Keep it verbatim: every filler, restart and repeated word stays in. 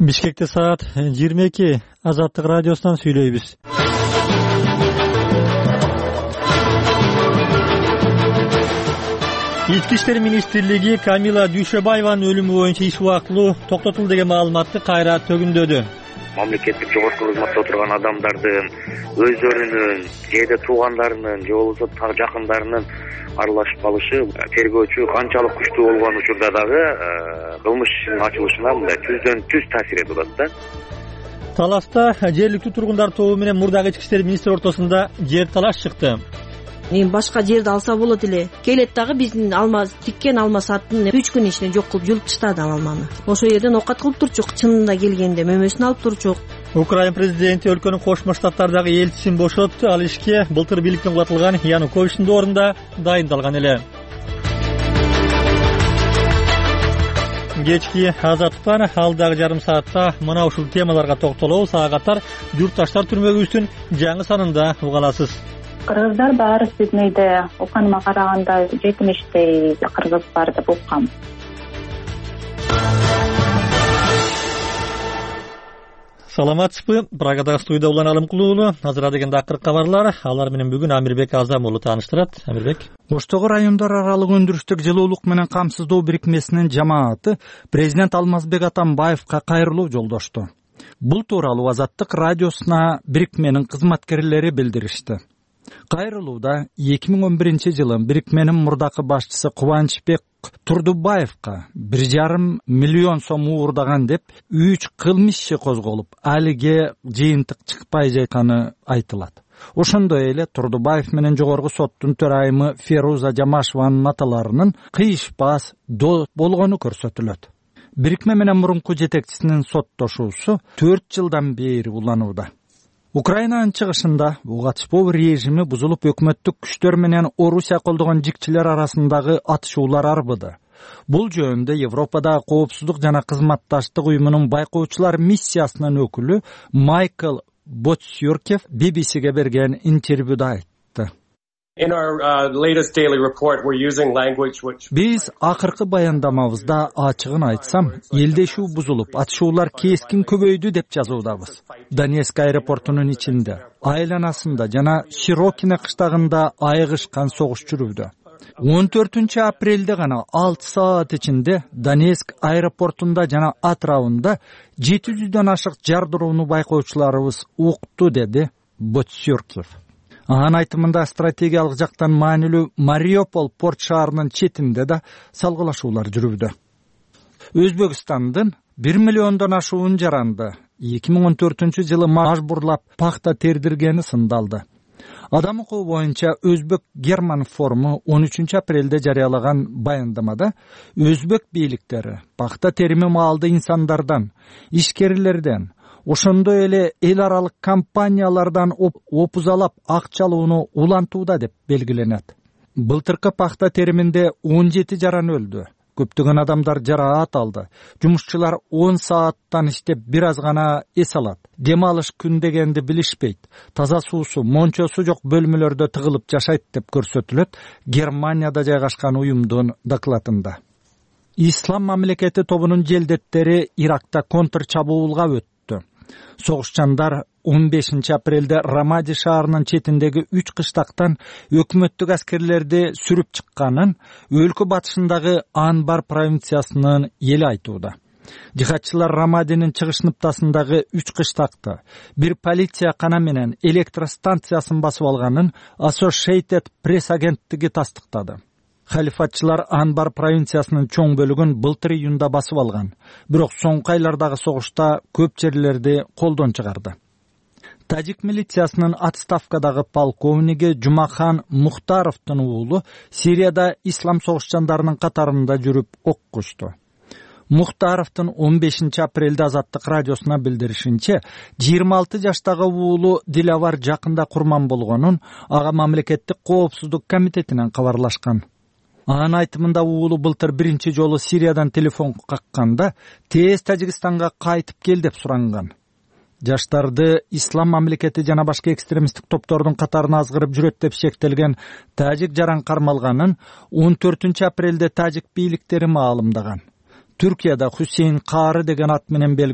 Бишкекте саат жыйырма эки. Азаттык радиосунан сүйлөйбүз. Ички иштер министрлиги Камила Дүйшөбаеванын өлүмү боюнча иш убактылуу токтотулду деген маалыматты кайра төгүндөдү. Мамлекеттик жогорку кызматта отурган адамдардын өздөрүнүн жеде туугандарынын же болбосо жакындарынын аралашып калышы тергөөчү канчалык күчтүү болгон учурда дагы кылмыш ишинин ачылышына мындай түздөн түз таасир этип атат да. Таласта жергиликтүү тургундар тобу менен мурдагы ички иштер министри ортосунда жер талаш чыкты. Эми башка жерди алса болот эле. Келет дагы биздин алма тиккен алма сатын үч күн ичинде жок кылып жулуп таштады ал алманы. Ошол жерден окат кылып турчук, чынында келгенде мөмөсүн алып турчук. Украина президенти өлкөнүн Кошмо Штаттардагы элчисин бошотту. Ал ишке былтыр бийликтен кубатылган Януковичтин ордунда дайындалган эле. Кечки Азаттыктан алдагы жарым саатта мына ушул темаларга токтолобуз. Ага катар Журтташтар түрмөгүбүздүн жаңы санында уга аласыз. Кыргыздар баары сиздин үйдө уканыма караганда жетимиштей кыргыз бар деп уккам. Саламатсызбы? Прагадагы студияда Улан Алымкулуу. Азыр дегенде акыркы кабарлар. Алар менен бүгүн Амирбек Азам уулу тааныштырат. Амирбек. Оштогу райондор аралык өндүрүштүк жылуулук менен камсыздоо бирикмесинин жамааты президент Алмазбек Атамбаевка кайрылуу жолдошту. Бул тууралуу Азаттык радиосуна бирикменин кызматкерлери билдиришти. Кайрылууда эки миң он биринчи жылы бирикменин мурдакы башчысы Кубанычбек Турдубаевка бир жарым миллион сом уурдаган деп үч кылмыш иши козголуп, алиге жыйынтык чыкпай жатканы айтылат. Ошондой эле Турдубаев менен жогорку соттун төрайымы Феруза Жамашеванын аталарынын кыйышпас дос болгону көрсөтүлөт. Бирикме менен мурунку жетекчисинин соттошуусу төрт жылдан бери уланууда. Украинанын чыгышында буга катышпоо режими бузулуп, өкмөттүк күчтөр менен Орусия колдогон жикчилер арасындагы атышуулар арбыды. Бул жөнүндө Европадагы коопсуздук жана кызматташтык уюмунун байкоочулар миссиясынын өкүлү Майкл Ботсюркев би би сиге берген интервьюда айтты. In our uh, latest daily report, we're using language which... Биз акыркы баяндамабызда ачыгын айтсам, элдешүү бузулуп, атышуулар кескин көбөйдү деп жазуудабыз. Донецк аэропортунун ичинде, айланасында жана Широкине кыштагында айыгышкан согуш жүрүүдө. он төртүнчү апрелде гана алты саат ичинде Донецк аэропортунда жана атрабында жети жүздөн ашык жардырууну байкоочуларыбыз укту, деди Ботсюркев. Анын айтымында стратегиялык жактан маанилүү Мариуполь порт шаарынын четинде да салгылашуулар жүрүүдө. Өзбекстандын бир миллиондон ашуун жаранды эки миң он төртүнчү жылы мажбурлап пахта тердиргени сындалды. Адам укугу боюнча Өзбек Герман форуму он үчүнчү апрелде жарыялаган баяндамада өзбек бийликтери пахта терими маалды инсандардан, ишкерлерден, ошондой эле эл аралык компаниялардан опузалап акчалууну улантууда деп белгиленет. Былтыркы пахта териминде он жети жаран өлдү. Көптөгөн адамдар жараат алды. Жумушчулар он сааттан иштеп бир аз гана эс алат. Дем алыш күн дегенди билишпейт. Таза суусу, мончосу жок бөлмөлөрдө тыгылып жашайт деп көрсөтүлөт Германияда жайгашкан уюмдун докладында. Ислам мамлекети тобунун желдеттери Иракта контр чабуулга өттү. Согушчандар он бешинчи апрелде Рамади шаарынын четиндеги үч кыштактан өкмөттүк аскерлерди сүрүп чыкканын өлкө батышындагы Анбар провинциясынын эли айтууда. Жихадчылар Рамадинин чыгыш ныктасындагы үч кыштакты, бир полиция кана менен электростанциясын басып алганын Associated Press агенттиги тастыктады. Халифатчылар Анбар провинциясынын чоң бөлүгүн былтыр июнда басып алган, бирок соңку айлардагы согушта көп жерлерди колдон чыгарды. Тажик милициясынын отставкадагы полковниги Жумахан Мухтаровдун уулу Сирияда ислам согушчандарынын катарында жүрүп оккушту. Мухтаровдун он бешинчи апрелде Азаттык радиосуна билдиришинче, жыйырма алты жаштагы уулу Дилавар жакында курман болгонун ага мамлекеттик коопсуздук комитетинен кабарлашкан. Анын айтымында уулу былтыр биринчи жолу Сириядан телефон какканда тез Тажикстанга кайтып кел деп суранган. Жаштарды ислам мамлекети жана башка экстремисттик топтордун катарына азгырып жүрөт деп шектелген тажик жаран кармалганын он төртүнчү апрелде тажик бийликтери маалымдаган. Түркияда Хусейн Кары деген ат менен белгилүү